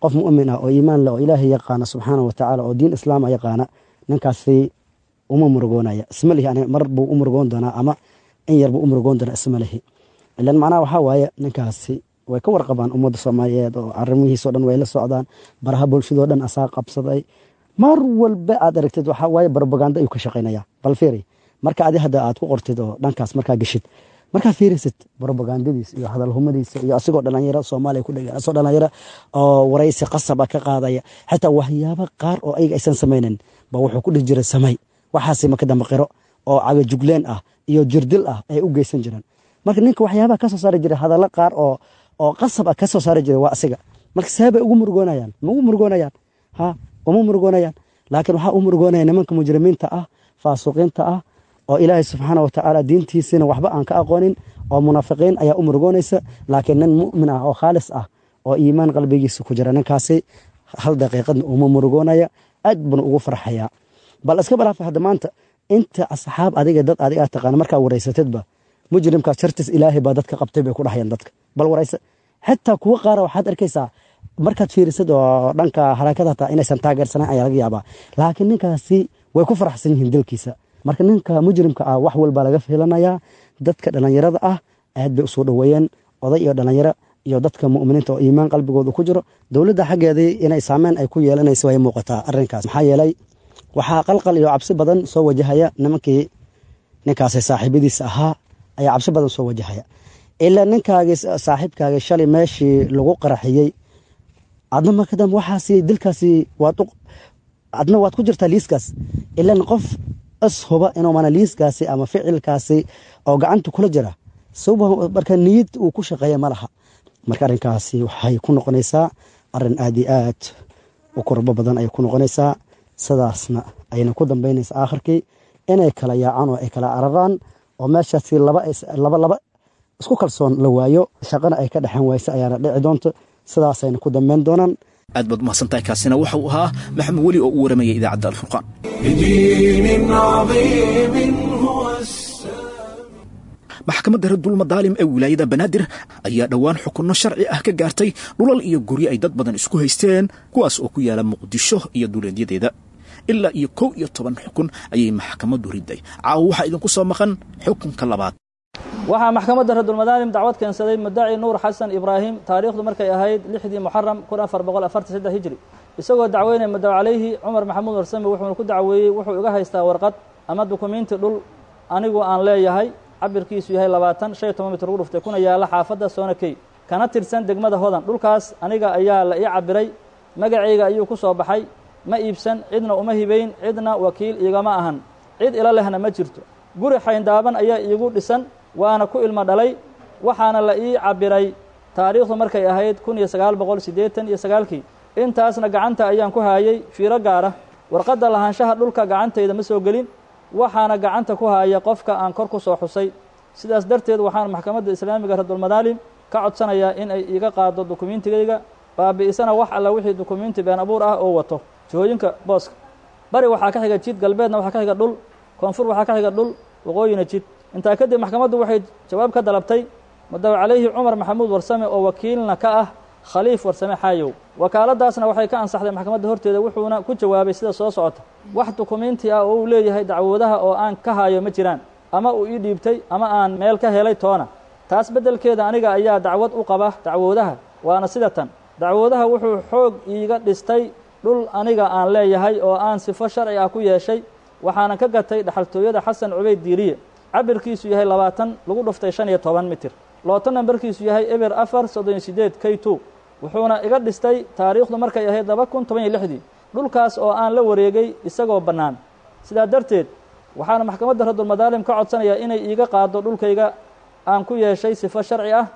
S4: Qof mu'min ah oo iimaan leh oo Ilaahay yaqaana subxaana watacaala oo diin islaam ah yaqaana, ninkaasi uma murugoonaya, isma lihi. Ani mar buu u murugoon doonaa ama in yar buu u murugoon doonaa, isma lihi. Ilan macnaha waxaa waaye, ninkaasi way ka warqabaan ummadda Soomaaliyeed oo arrimihiisoo dhan way la socdaan. Baraha bulshadoo dhan asaa qabsaday. Mar walba aad aragtid waxaa waaye propaganda ayuu ka shaqaynaya. Bal fiiri, marka adi hadda aad ku qortid oo dhankaas markaa geshid, markaa fiirisid propagandadiis iyo hadalhumadiisa iyo asigoo dhalinyaro Soomaaliya ku dhegan, asagoo dhalinyaro oo waraysi qasab ah ka qaadaya, xitaa waxyaabo qaar oo ayaga aysan samaynin ba wuxuu ku dhihi jiray samay waxaasi, maka dambe qiro oo cagajugleen ah iyo jirdil ah ay u geysan jireen. Marka ninka waxyaabaha ka soo saari jiray, hadallo qaar oo oo qasab ah ka soo saari jiray waa asiga. Marka see bay ugu murugoonayaan? Ma ugu murugoonayaan? Ha, uma murugoonayaan. Laakiin waxaa u murugoonaya nimanka mujrimiinta ah, faasuqiinta ah oo Ilaahay subxaana watacaala diintiisina waxba aan ka aqoonin oo munaafiqiin ayaa u murugoonaysa. Laakiin nin mu'min ah oo khaalis ah oo iimaan qalbigiisa ku jira, ninkaasi hal daqiiqadna uma murugoonaya, aad buna ugu farxayaa. Bal iska balaafa hadda maanta inta asxaab adiga dad adiga aad taqaana markaa wareysatidba, mujrimkaas shartiis Ilaahay baa dadka qabtay bay ku dhahayaan dadka. Bal wareysa, xitaa kuwo qaara waxaad arkaysaa markaad fiirisid oo dhanka harakada hataa inaysan taageersanayn ayaa laga yaabaa, laakiin ninkaasi way ku faraxsan yihiin dilkiisa. Marka ninka mujrimka ah wax walba laga filanayaa. Dadka dhallinyarada ah aad bay usoo dhoweeyeen, oday iyo dhallinyaro iyo dadka mu'miniinta oo iimaan qalbigooda ku jiro. Dowladda xaggeedii inay saameyn ay ku yeelanayso way muuqataa arrinkaas, maxaa yeelay waxaa qalqal iyo cabsi badan soo wajahaya nimankii ninkaasi saaxiibadiisa ahaa ayaa cabsi badan soo wajahaya. Ilaa ninkaagii saaxiibkaagii shalay meeshii lagu qaraxiyey, adna marka dambe waxaasi dilkaasi waad adna waad ku jirtaa liiskaas. Ilan qof is huba inuu mana liiskaasi ama ficilkaasi oo gacanta kula jira, marka niyad uu ku shaqeeya ma laha. Marka arrinkaasi waxay ku noqonaysaa arrin aad iyo aad u kurbo badan ayay ku noqonaysaa. Sidaasna ayna ku dambeynaysa aakhirkii inay kala yaacaan oo ay kala cararaan oo meeshaasi laba laba laba isku kalsoon la waayo, shaqana ay ka dhexan waysa ayaana dhici doonto. Sidaasayna ku dambeyn doonaan.
S2: Aad baad umahadsantahay. Kaasina waxa uu ahaa Maxamed Weli oo u waramayay idaacadda Alfurqaan.
S1: بدين عظيم هو السلام.
S2: Maxkamadda Radulmadaalim ee wilaayada Banaadir ayaa dhowaan xukunno sharci ah ka gaartay dhulal iyo guryo ay dad badan isku haysteen, kuwaas oo ku yaala Muqdisho iyo duleedyadeeda. Ilaa iyo kow iyo toban xukun ayay maxkamaddu riday. Caawa waxaa idinku soo maqan xukunka labaad.
S5: Waxaa maxkamadda Radulmadaalim dacwad keensaday mudaci Nuur Xasan Ibraahim, taariikhdu markay ahayd lixdii Muxaram kun afar boqol afartan saddex hijri, isagoo dacweynaya mudaw calayhi Cumar Maxamuud Warsame. Wuxuuna ku dacweeyey wuxuu iga haystaa warqad ama dukumiinti dhul anigu aan leeyahay, cabirkiisu yahay labaatan shan iyo toban mitir ugu dhuftay, kuna yaalla xaafadda Soonakey kana tirsan degmada Hodan. Dhulkaas aniga ayaa la ii cabiray, magacayga ayuu ku soo baxay. Ma iibsan, cidna uma hibayn, cidna wakiil iigama ahan, cid ila lehna ma jirto. Guri xayndaaban ayaa iigu dhisan, waana ku ilmo dhalay, waxaana la ii cabiray taariikhdu markay ahayd kun iyo sagaal boqol siddeetan iyo sagaalkii. Intaasna gacanta ayaan ku haayay. Fiiro gaara: warqadda lahaanshaha dhulka gacantayda ma soo gelin, waxaana gacanta ku haaya qofka aan kor ku soo xusay. Sidaas darteed waxaan maxkamadda islaamiga Radulmadaalim ka codsanayaa in ay iiga qaado dukumiintigayga, baabi'isana wax alla wixii dukumiinti been abuur ah oo wato. Jihooyinka booska: bari waxaa ka xiga jid, galbeedna waxaa ka xiga dhul, koonfur waxaa ka xiga dhul, waqooyina jid. Intaa kadib maxkamaddu waxay jawaab ka dalabtay mudaw calayhi Cumar Maxamuud Warsame oo wakiilna ka ah Khaliif Warsame Xaayow. Wakaaladaasna waxay ka ansaxday maxkamadda horteeda, wuxuuna ku jawaabay sida soo socota: wax dukumiinti ah oo uu leeyahay dacwoodaha oo aan ka hayo ma jiraan, ama uu ii dhiibtay ama aan meel ka helay toona. Taas beddelkeeda aniga ayaa dacwad u qaba dacwoodaha, waana sida tan: dacwoodaha wuxuu xoog iiga dhistay dhul aniga aan leeyahay oo aan sifo sharci ah ku yeeshay, waxaana ka gatay dhaxaltooyada Xasan Cubayd Diiriye, cabirkiisu yahay labaatan lagu dhuftay shan iyo toban mitir, looto nambarkiisu yahay eber afar soddon iyo sideed k two, wuxuuna iga dhistay taariikhdu markay ahayd laba kun toban iyo lixdii, dhulkaas oo aan la wareegay isagoo bannaan. Sidaa darteed Waxaana maxkamadda Raddulmadaalim ka codsanayaa inay iiga qaado dhulkayga aan ku yeeshay sifo sharci ah.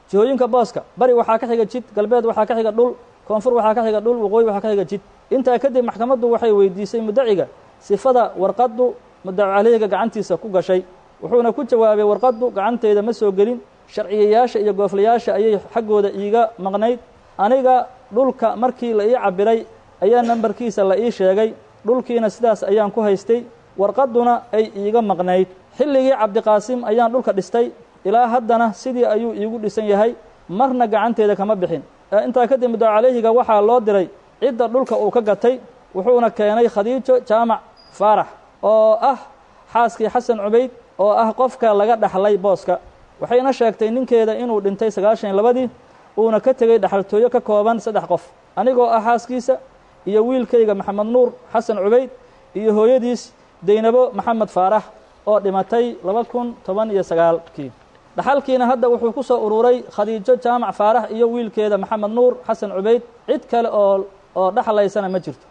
S5: Jihooyinka booska: bari waxaa ka xiga jid, galbeed waxaa ka xiga dhul, koonfur waxaa ka xiga dhul, waqooyi waxaa ka xiga jid. Intaa kadib maxkamaddu waxay weydiisay mudaciga sifada warqaddu mudacu caleyhiga gacantiisa ku gashay, wuxuuna ku jawaabay: warqaddu gacanteyda ma soo gelin, sharciyayaasha iyo gooflayaasha ayay xaggooda iiga maqnayd. Aniga dhulka markii la ii cabiray ayaa nambarkiisa la ii sheegay, dhulkiina sidaas ayaan ku haystay, warqadduna ay iiga maqnayd. Xilligii Cabdiqaasim ayaan dhulka dhistay, ilaa haddana sidii ayuu iigu dhisan yahay, marna gacanteeda kama bixin. Intaa kadib mudacu caleyhiga waxaa loo diray cidda dhulka uu ka gatay, wuxuuna keenay Khadiijo Jaamac Faarax oo ah xaaskii Xasan Cubayd oo ah qofka laga dhaxlay booska. Waxayna sheegtay ninkeeda inuu dhintay sagaashan iyo labadii, uuna ka tegey dhaxaltooyo ka kooban saddex qof: anigoo ah xaaskiisa iyo wiilkayga Maxamed Nuur Xasan Cubayd iyo hooyadiis Daynabo Maxamed Faarax oo dhimatay laba kun toban iyo sagaalkii. Dhaxalkiina hadda wuxuu ku soo ururay Khadiijo Jaamac Faarax iyo wiilkeeda Maxamed Nuur Xasan Cubayd, cid kale oo oo dhaxlaysana ma jirto.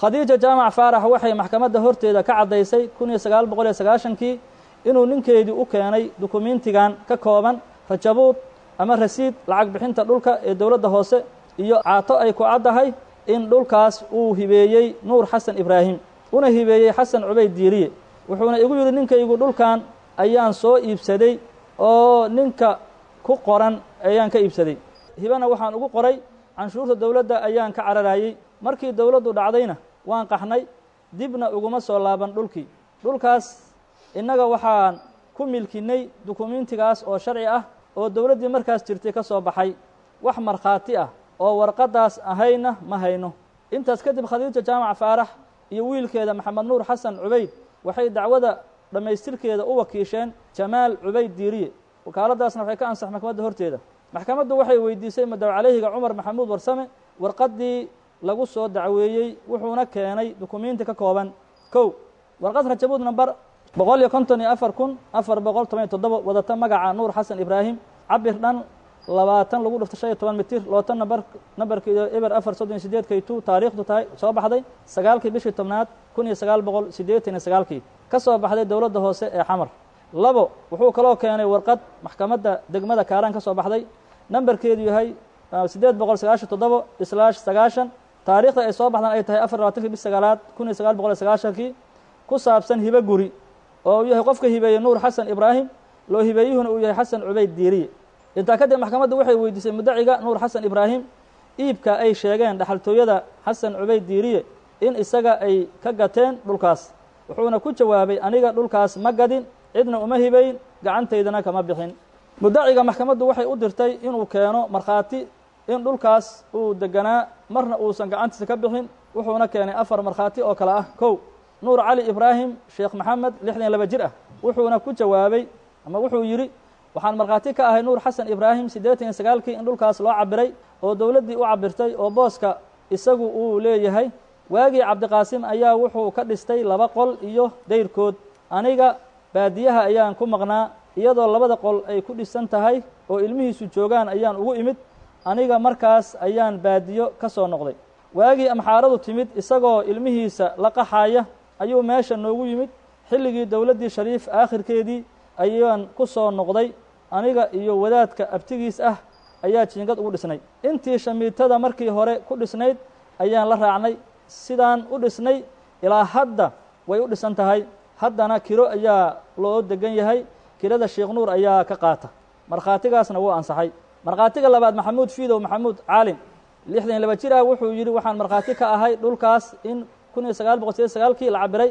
S5: Khadiijo Jaamac Faarax waxay maxkamadda horteeda ka caddaysay kun iyo sagaal boqol iyo sagaashankii inuu ninkeedii u keenay dukumiintigan ka kooban rajabuud ama rasiid lacag bixinta dhulka ee dowladda hoose iyo caato ay ku caddahay in dhulkaas uu hibeeyey Nuur Xasan Ibraahim, una hibeeyey Xasan Cubayd Diiriye. Wuxuuna igu yidhi: ninkaygu dhulkan ayaan soo iibsaday oo ninka ku qoran ayaan ka iibsaday, hibana waxaan ugu qoray canshuurta dowladda ayaan ka cararayey, markii dowladdu dhacdayna waan qaxnay, dibna uguma soo laaban dhulkii. Dhulkaas innaga waxaan ku milkinnay dukumiintigaas oo sharci ah oo dowladdii markaas jirtay ka soo baxay, wax markhaati ah oo warqaddaas ahayna ma hayno. Intaas kadib Khadiijo Jaamac Faarax iyo wiilkeeda Maxamed Nuur Xasan Cubayd waxay dacwada dhammaystirkeeda u wakiisheen Jamaal Cubayd Diiriye, wakaaladdaasna waxay ka ansax maxkamadda horteeda. Maxkamaddu waxay weydiisay mudacu caleyhiga Cumar Maxamuud Warsame warqaddii lagu soo dacweeyey, wuxuuna keenay dukumiinti ka kooban: kow, warqad rajabuud nambar boqol iyo konton iyo afar kun afar boqol toban iyo toddoba, wadata magaca Nuur Xasan Ibraahim, cabir dhan labaatan lagu dhufto shan iyo toban mitir, lootan nambar nambarkeedu eber afar soddon iyo sideed kay two, taariikhdu tahay soo baxday sagaalkii bishii tobnaad kun iyo sagaal boqol siddeetan iyo sagaalkii, ka soo baxday dowladda hoose ee Xamar. Labo, wuxuu kaloo keenay warqad maxkamadda degmada Kaaraan ka soo baxday, nambarkeedu yahay siddeed boqol sagaashan toddobo islaash sagaashan, taariikhda ay soo baxdan ay tahay afar labaatankii bish sagaalaad kun iyo sagaal boqol iyo sagaashankii, ku saabsan hibo guri oo uu yahay qofka hibeeyey Nuur Xasan Ibraahim, loo hibeeyuhuna uu yahay Xasan Cubayd Diiriye. Intaa kadib maxkamaddu waxay weydiisay mudaciga Nuur Xasan Ibraahim iibka ay sheegeen dhaxaltooyada Xasan Cubayd Diiriye in isaga ay ka gateen dhulkaas, wuxuuna ku jawaabay: aniga dhulkaas ma gadin, cidna uma hibayn, gacantaydana kama bixin. Mudaciga maxkamaddu waxay u dirtay inuu keeno markhaati in dhulkaas uu deganaa marna uusan gacantiisa ka bixin, wuxuuna keenay afar markhaati oo kale ah: kow, Nuur Cali Ibraahim Sheekh Maxamed, lixdan iyo laba jir ah, wuxuuna ku jawaabay ama wuxuu yidhi: waxaan markhaati ka ahay Nuur Xasan Ibraahim siddeetan iyo sagaalkii in dhulkaas loo cabiray oo dowladdii u cabirtay oo booska isagu uu leeyahay. Waagii Cabdiqaasim ayaa wuxuu ka dhistay laba qol iyo dayrkood, aniga baadiyaha ayaan ku maqnaa, iyadoo labada qol ay ku dhisan tahay oo ilmihiisu joogaan ayaan ugu imid, aniga markaas ayaan baadiyo ka soo noqday. Waagii amxaaradu timid isagoo ilmihiisa la qaxaya ayuu meesha noogu yimid, xilligii dowladdii Shariif aakhirkeedii ayaan ku soo noqday, aniga iyo wadaadka abtigiis ah ayaa jiingad ugu dhisnay. Intii shamiitada markii hore ku dhisnayd ayaan la raacnay, sidaan u dhisnay ilaa hadda way u dhisan tahay, haddana kiro ayaa loo degan yahay, kirada Sheekh Nuur ayaa ka qaata. Markhaatigaasna wuu ansaxay. Markhaatiga labaad Maxamuud Fiidow Maxamuud Caalim, lixdan iyo laba jir ah, wuxuu yidhi: waxaan markhaati ka ahay dhulkaas in kun iyo sagaal boqol sideed sagaalkii la cabiray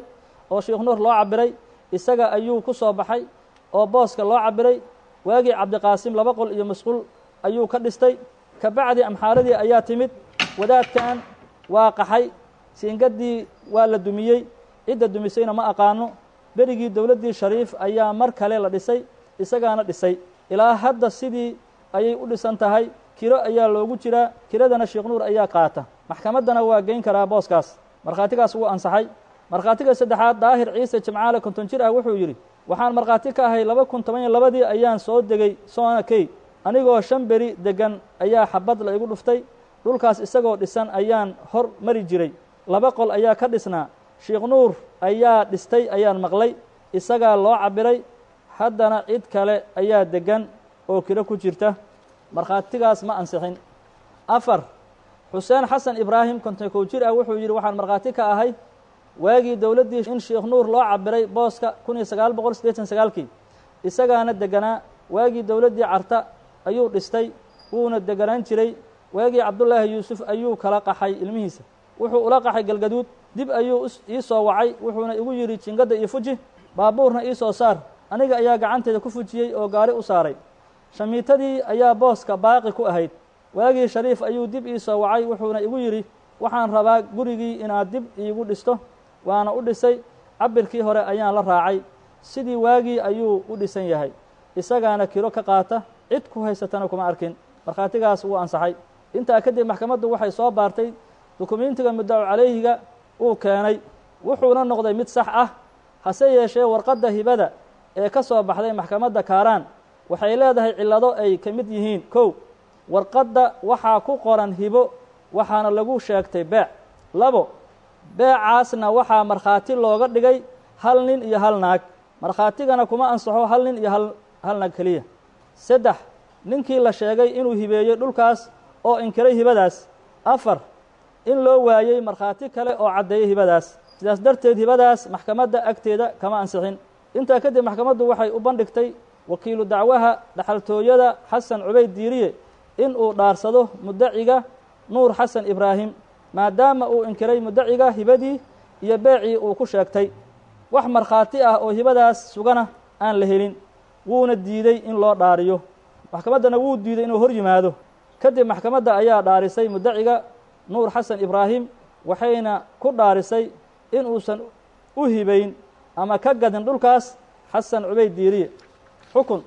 S5: oo Sheekh Nuur loo cabiray, isaga ayuu ku soo baxay oo booska loo cabiray. Waagii Cabdiqaasim laba qol iyo masquul ayuu ka dhistay, kabacdi amxaaradii ayaa timid, wadaadkan waa qaxay, siingaddii waa la dumiyey, cidda dumisayna ma aqaano. Berigii dowladdii Shariif ayaa mar kale la dhisay, isagaana dhisay, ilaa hadda sidii ayay u dhisan tahay, kiro ayaa loogu jiraa, kiradana Sheekh Nuur ayaa qaata, maxkamaddana waa geyn karaa booskaas. Markhaatigaas wuu ansaxay. Markhaatiga saddexaad Daahir Ciise Jimcaale, konton jir ah, wuxuu yidhi: waxaan markhaati ka ahay laba kun toban iyo labadii ayaan soo degay Soona Key, anigoo shan beri deggan ayaa xabad la igu dhuftay, dhulkaas isagoo dhisan ayaan hor mari jiray, laba qol ayaa ka dhisnaa, Sheekh Nuur ayaa dhistay ayaan maqlay, isagaa loo cabiray, haddana cid kale ayaa deggan oo kiro ku jirta. Markhaatigaas ma ansixin. Afar, Xuseen Xasan Ibraahim, konton kow jir ah, wuxuu yidhi waxaan markhaati ka ahay waagii dowladdii in Sheekh Nuur loo cabiray booska kun iyo sagaal boqol siddeetan sagaalkii, isagaana deganaa. Waagii dowladdii Carta ayuu dhistay, wuuna deganaan jiray. Waagii Cabdullaahi Yuusuf ayuu kala qaxay ilmihiisa, wuxuu ula qaxay Galgaduud. Dib ayuu ii soo wacay, wuxuuna igu yidhi jingadda ii fuji, baabuurna ii soo saar. Aniga ayaa gacanteeda ku fujiyey oo gaari u saaray. Shamiitadii ayaa booska baaqi ku ahayd. Waagii Shariif ayuu dib ii soo wacay, wuxuuna igu yidhi waxaan rabaa gurigii inaad dib iigu dhisto. Waana u dhisay, cabirkii hore ayaan la raacay, sidii waagii ayuu u dhisan yahay, isagaana kiro ka qaata, cid ku haysatana kuma arkin. Markhaatigaas wuu ansaxay. Intaa kadib maxkamaddu waxay soo baartay dukumiintiga muddacu calayhiga uu keenay, wuxuuna noqday mid sax ah. Hase yeeshee warqadda hibada ee ka soo baxday maxkamadda Kaaraan waxay leedahay cillado ay ka mid yihiin: kow, warqadda waxaa ku qoran hibo, waxaana lagu sheegtay beec. Labo, beecaasna waxaa markhaati looga dhigay hal nin iyo hal naag, markhaatigana kuma ansaxo hal nin iyo hal hal naag keliya. Saddex, ninkii la sheegay inuu hibeeyey dhulkaas oo inkiray hibadaas. Afar, in loo waayey markhaati kale oo caddeeyey hibadaas, sidaas darteed hibadaas maxkamadda agteeda kama ansixin. Intaa kadib maxkamaddu waxay u bandhigtay wakiilu dacwaha dhaxaltooyada Xasan Cubayd Diiriye in uu dhaarsado muddaciga Nuur Xasan Ibraahim, maadaama uu inkiray muddaciga hibadii iyo beecii uu ku sheegtay, wax markhaati ah oo hibadaas sugana aan la helin, wuuna diiday in loo dhaariyo. Maxkamaddana wuu diiday inuu hor yimaado. Kadib maxkamadda ayaa dhaarisay muddaciga Nuur Xasan Ibraahim, waxayna ku dhaarisay in uusan u hibayn ama ka gadin dhulkaas Xasan Cubayd Diiriye. Xukun.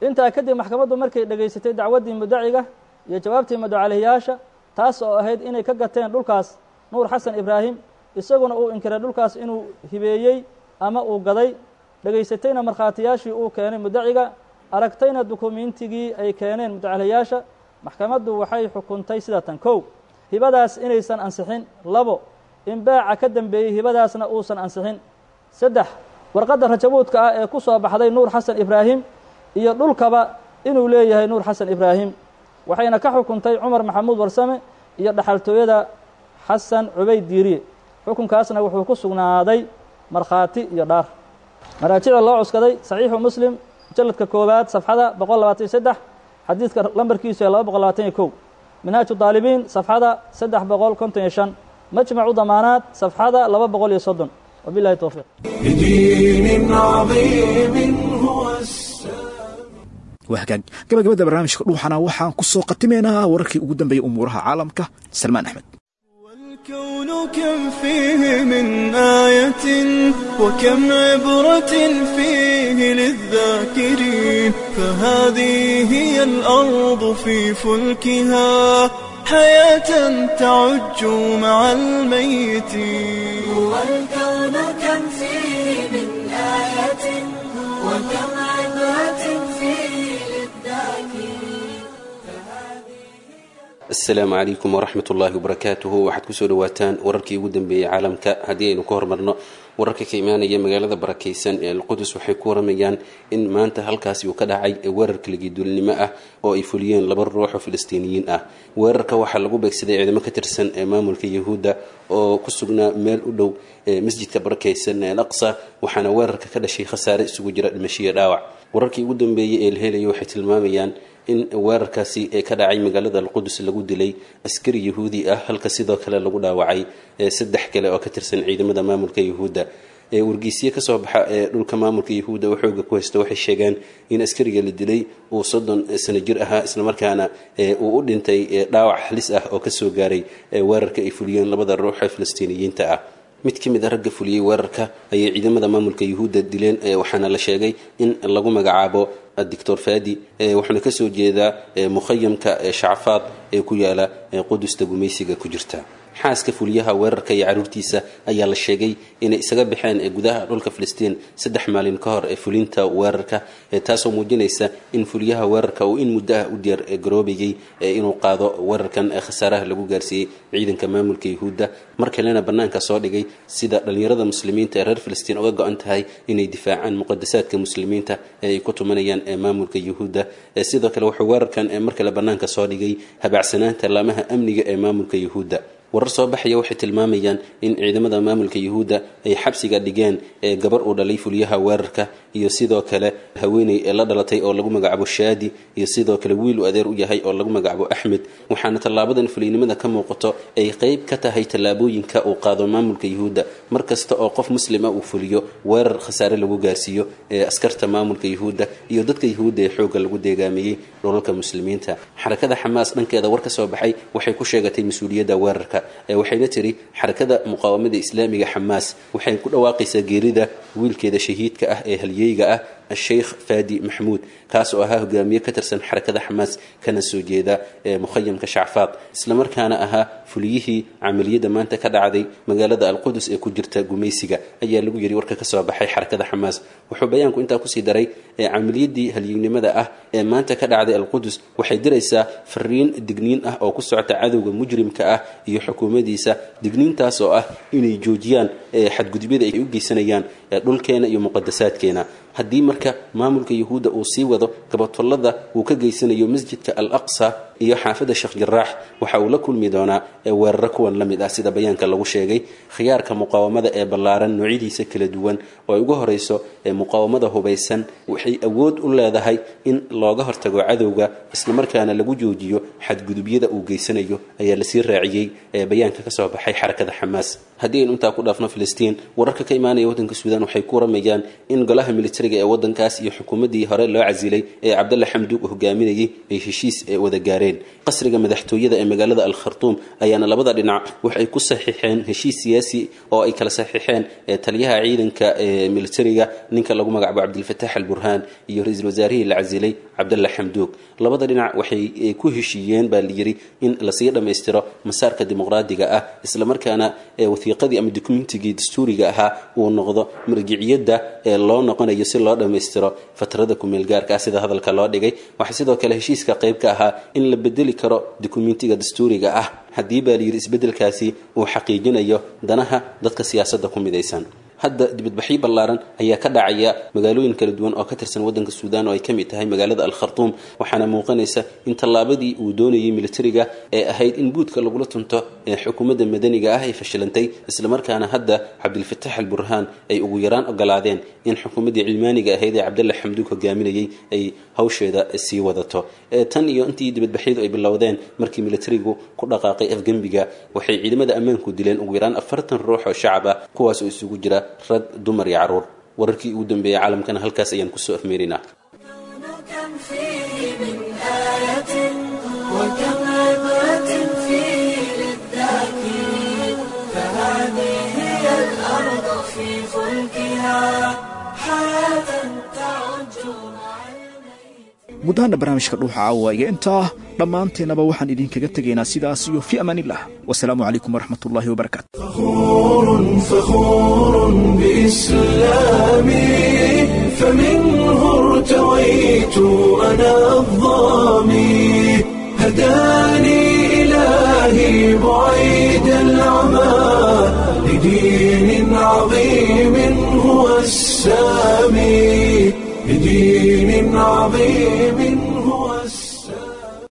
S5: Intaa kadib maxkamaddu markay dhegaysatay dacwaddii muddaciga iyo jawaabtii mudacalihiyaasha, taas oo ahayd inay ka gateen dhulkaas Nuur Xasan Ibraahim, isaguna uu inkiray dhulkaas inuu hibeeyey ama uu gaday, dhegaysatayna markhaatiyaashii uu keenay muddaciga, aragtayna dukumiintigii ay keeneen mudacalihiyaasha, maxkamaddu waxay xukuntay sida tan: kow, hibadaas inaysan ansixin. Labo, in beeca ka dambeeyey hibadaasna uusan ansixin. Saddex, warqadda rajabuudka ah ee ku soo baxday Nuur Xasan Ibraahim iyo dhulkaba inuu leeyahay Nuur Xasan Ibraahim. Waxayna ka xukuntay Cumar Maxamuud Warsame iyo dhaxaltooyada Xasan Cubayd Diiriye. Xukunkaasna wuxuu ku sugnaaday markhaati iyo dhaar. Maraajicda loo cuskaday: Saxiixu Muslim, mujalladka koowaad, safxada boqol labaatan iyo saddex, xadiidka lambarkiisu ee laba boqol labaatan iyo kow; Minhaaju Daalibiin, safxada saddex boqol konton iyo shan; Majmacu Damaanaad, safxada laba boqol iyo soddon. Wabilahi towfiiq.
S1: بدين عظيم هو السلام.
S2: Waa hagaag, gabagabada barnaamijka dhuuxana waxaan ku soo qatimaynaa wararkii ugu dambeeyey umuuraha caalamka. Salmaan Axmed.
S10: الكون كم فيه من آية وكم عبرة فيه للذاكرين، فهذه هي الأرض في فلكها حياة تعج مع الميتين.
S11: هو الكون كم فيه من آية وكم عبرة فيه للذاكرين.
S6: Asalaamu calaykum waraxmat ullaahi wabarakaatuhu. Waxaad kusoo dhawaataan wararkii ugu dambeeyey caalamka. Haddii aynu ka hormarno wararka ka imaanaya magaalada barakeysan ee Alqudus, waxay ku waramayaan in maanta halkaasi uu ka dhacay weerar kaligiduulnimo ah oo ay fuliyeen laba ruux oo Filistiiniyiin ah. Weerarka waxaa lagu beegsaday ciidamo ka tirsan ee maamulka Yahuudda oo ku sugnaa meel u dhow ee masjidka barakeysan ee Al Aqsa, waxaana weerarka ka dhashay khasaare isugu jira dhimasho iyo dhaawac. Wararkii ugu dambeeyey ee la helaya waxay tilmaamayaan in weerarkaasi ee ka dhacay magaalada Alqudus lagu dilay askari Yahuudi ah, halka sidoo kale lagu dhaawacay saddex kale oo ka tirsan ciidamada maamulka Yahuudda. Wargeysiye kasoo baxa ee dhulka maamulka Yahuudda oo xooga ku haysta waxay sheegeen in askariga la dilay uu soddon sano jir ahaa, islamarkaana uu u dhintay dhaawac halis ah oo kasoo gaaray weerarka ay fuliyeen labada ruux ee Filistiiniyiinta ah. Mid ka mid a ragga fuliyey weerarka ayay ciidamada maamulka Yahuudda dileen, waxaana la sheegay in lagu magacaabo Doctor Fadi, wuxuuna kasoo jeedaa mukhayamka Shacfaad ee ku yaala Qudusta gumaysiga ku jirta. Xaaska fuliyaha weerarka iyo caruurtiisa ayaa la sheegay inay isaga baxeen gudaha dhulka Filistiin saddex maalin ka hor ee fulinta weerarka, taasoo muujinaysa in fuliyaha weerarka uu in muddo ah u diyaar garoobayay inuu qaado weerarkan khasaaraha lagu gaarsiiyey ciidanka maamulka Yuhuudda. Mar kalena bannaanka soo dhigay sida dhalinyarada muslimiinta ee reer Filistiin uga go-an tahay inay difaacaan muqadasaadka muslimiinta ee ay ku tumanayaan maamulka Yuhuudda. Sidoo kale wuxuu weerarkan mar kale bannaanka soo dhigay habacsanaanta laamaha amniga ee maamulka Yuhuudda. Warar soo baxaya waxay tilmaamayaan in ciidamada maamulka Yuhuudda ay xabsiga dhigeen ee gabar uu dhalay fuliyaha weerarka, iyo sidoo kale haweeney ee la dhalatay oo lagu magacaabo Shaadi, iyo sidoo kale wiil uu adeer u yahay oo lagu magacaabo Axmed. Waxaana tallaabadan fuliynimada ka muuqato ay qayb ka tahay tallaabooyinka uu qaado maamulka Yuhuudda mar kasta oo qof muslima uu fuliyo weerar khasaare lagu gaarsiiyo ee askarta maamulka Yuhuudda iyo dadka Yuhuudda ee xoogga lagu deegaamiyey dhulalka muslimiinta. Xarakada Xamaas dhankeeda war ka soo baxay waxay ku sheegatay mas-uuliyadda weerarka, waxayna tiri xarakada muqaawamada islaamiga Xamaas waxay ku dhawaaqaysaa geerida wiilkeeda shahiidka ah ee halyeyga ah Sheikh Fadi Maxmuud, kaas oo ahaa hogaamiye ka tirsan xarakada Xamaas kana soo jeeda mukhayamka Shacfaad, islamarkaana ahaa fuliyihii camaliyada maanta ka dhacday magaalada Alqudus ee ku jirta gumaysiga, ayaa lagu yiri warka ka soo baxay xarakada Xamaas. Wuxuu bayaanku intaa kusii daray camaliyadii halyeynimada ah ee maanta ka dhacday Alqudus waxay diraysaa fariin digniin ah oo ku socota cadowga mujrimka ah iyo xukuumadiisa, digniintaas oo ah inay joojiyaan xadgudubyada ay u geysanayaan dhulkeena iyo muqadasaadkeena. Haddii marka maamulka Yuhuudda uu sii wado gabatolada uu ka geysanayo masjidka Al Aqsa iyo xaafadda Sheekh Jaraax, waxa uu la kulmi doonaa weeraro kuwan la mid ah, sida bayaanka lagu sheegay. Khiyaarka muqaawamada ee ballaaran noocyadiisa kala duwan oo ay ugu horeyso muqaawamada hubaysan waxay awood u leedahay in looga hortago cadowga islamarkaana lagu joojiyo xadgudubyada uu geysanayo, ayaa lasii raaciyey bayaanka kasoo baxay xarakada Xamaas. Haddii aynu intaa ku dhaafno Filistiin, wararka ka imaanaya waddanka Suudaan waxay ku waramayaan in golaha militariga ee waddankaas iyo xukuumaddii hore loo casilay ee Cabdalla Xamduug hogaaminayay ay heshiis wada gaareen. Qasriga madaxtooyada ee magaalada Al Khartuum ayaana labada dhinac waxay ku saxiixeen heshiis siyaasi oo ay kala saxiixeen taliyaha ciidanka ee militariga ninka lagu magacaabo Cabdilfataax Al Burhaan iyo ra-iisul wasaarihii la casilay Cabdalla Xamduug. Labada dhinac waxay ku heshiiyeen baa la yiri in lasii dhammaystiro masaarka dimuqraadiga ah, islamarkaana wasiiqadii ama dukumentigii dastuuriga ahaa uu noqdo marjiciyadda ee loo noqonayo si loo dhammaystiro fatrada kumeelgaarka ah, sida hadalka loo dhigay. Waxaa sidoo kale heshiiska qayb ka ahaa in la bedeli karo dukumentiga dastuuriga ah haddii baa layidhi isbeddelkaasi uu xaqiijinayo danaha dadka siyaasadda ku midaysan. Hadda dibadbaxyo ballaaran ayaa ka dhacaya magaalooyin kala duwan oo ka tirsan waddanka Suudaan oo ay ka mid tahay magaalada Al Khartuum, waxaana muuqanaysa in tallaabadii uu doonayay militariga ee ahayd in buudka lagula tunto ee xukuumadda madaniga ah ay fashilantay, islamarkaana hadda Cabdilfataax Al Burhaan ay ugu yaraan ogolaadeen in xukuumaddii cilmaaniga ahayd ee Cabdalla Xamduug hogaaminayay ay hawsheeda sii wadato. Tan iyo intii dibadbaxyadu ay bilowdeen markii militarigu ku dhaqaaqay afgembiga, waxay ciidamada ammaanku dileen ugu yaraan afartan ruux oo shacab ah, kuwaas oo isugu jira rag, dumar iyo caruur. Wararkii ugu dambeeyey caalamkana halkaas ayaan kusoo afmeerinaa.
S11: كم فيه من آية وكم عبرة فيه للذاكرين، فهذه هي الأرض في فلكها حياة تعج مع
S2: Gudahaana barnaamijka Dhuuxa Caawa iyo intaa dhammaanteennaba waxaan idinkaga tegaynaa sidaas iyo fi amaanillah. Wasalaamu calaykum waraxmatullaahi wabarakaatu.
S1: فخور فخور بإسلامي، فمنه ارتويت أنا الظامي، هداني إلهي بعيد العمى لدين عظيم هو السامي، لدين عظيم هو